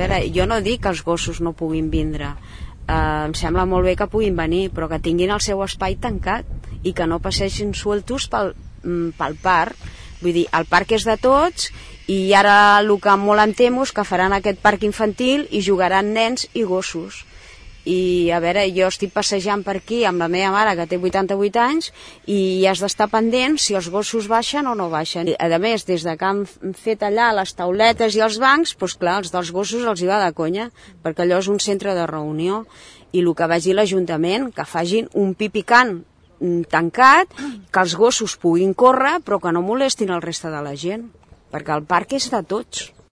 veure, jo no dic que els gossos no puguin vindre, em sembla molt bé que puguin venir, però que tinguin el seu espai tancat i que no passegin sueltos pel parc. Vull dir, el parc és de tots i ara el que molt em temo és que faran aquest parc infantil i jugaran nens i gossos. I a veure, jo estic passejant per aquí amb la meva mare que té 88 anys i has d'estar pendent si els gossos baixen o no baixen. A més, des de que han fet allà les tauletes i els bancs, doncs clar, els dels gossos els hi va de conya, perquè allò és un centre de reunió. I el que vagi l'Ajuntament, que facin un pipicant tancat, que els gossos puguin córrer però que no molestin el reste de la gent, perquè el parc és de tots.